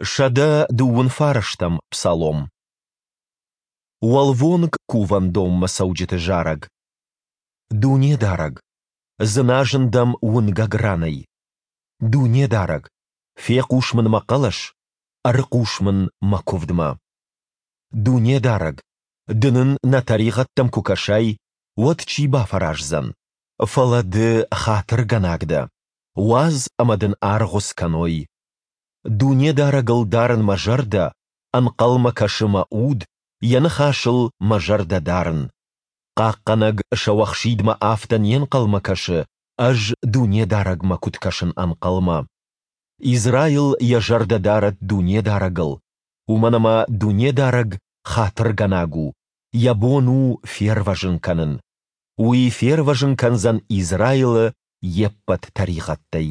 129-ӕм псалом. Уӕлвонг кувӕндонмӕ цӕуджыты зарӕг. Дунедарӕг, дзыназын дӕм уынгӕг ранӕй. Дунедарӕг, фехъус мын мӕ хъӕлӕс, ӕрыхъус мын мӕ куывдмӕ. Дунедарӕг, Ды нын нӕ тӕригъӕдтӕм куы кӕсай, уӕд чи бафӕраздзӕн? Фӕлӕ Ды хатыргӕнаг дӕ, уадз ӕмӕ Дын аргъуыц кӕной. Дунедарӕгыл дарын мӕ зӕрдӕ, ӕнхъӕлмӕ кӕсы мӕ уд, Йӕ ныхасыл мӕ зӕрдӕ дарын. Хъахъхъӕнӕг сӕуӕхсидмӕ афтӕ не нхъӕлмӕ кӕсы, ӕз Дунедарӕгмӕ куыд кӕсын ӕнхъӕлмӕ. Израил йӕ зӕрдӕ дарӕд Дунедарӕгыл, уымӕн ӕмӕ Дунедарӕг хатыргӕнаг у, Йӕ бон у фервӕзын кӕнын. Уый фервӕзын кӕндзӕн Израилы йе ппӕт тӕригъӕдтӕй.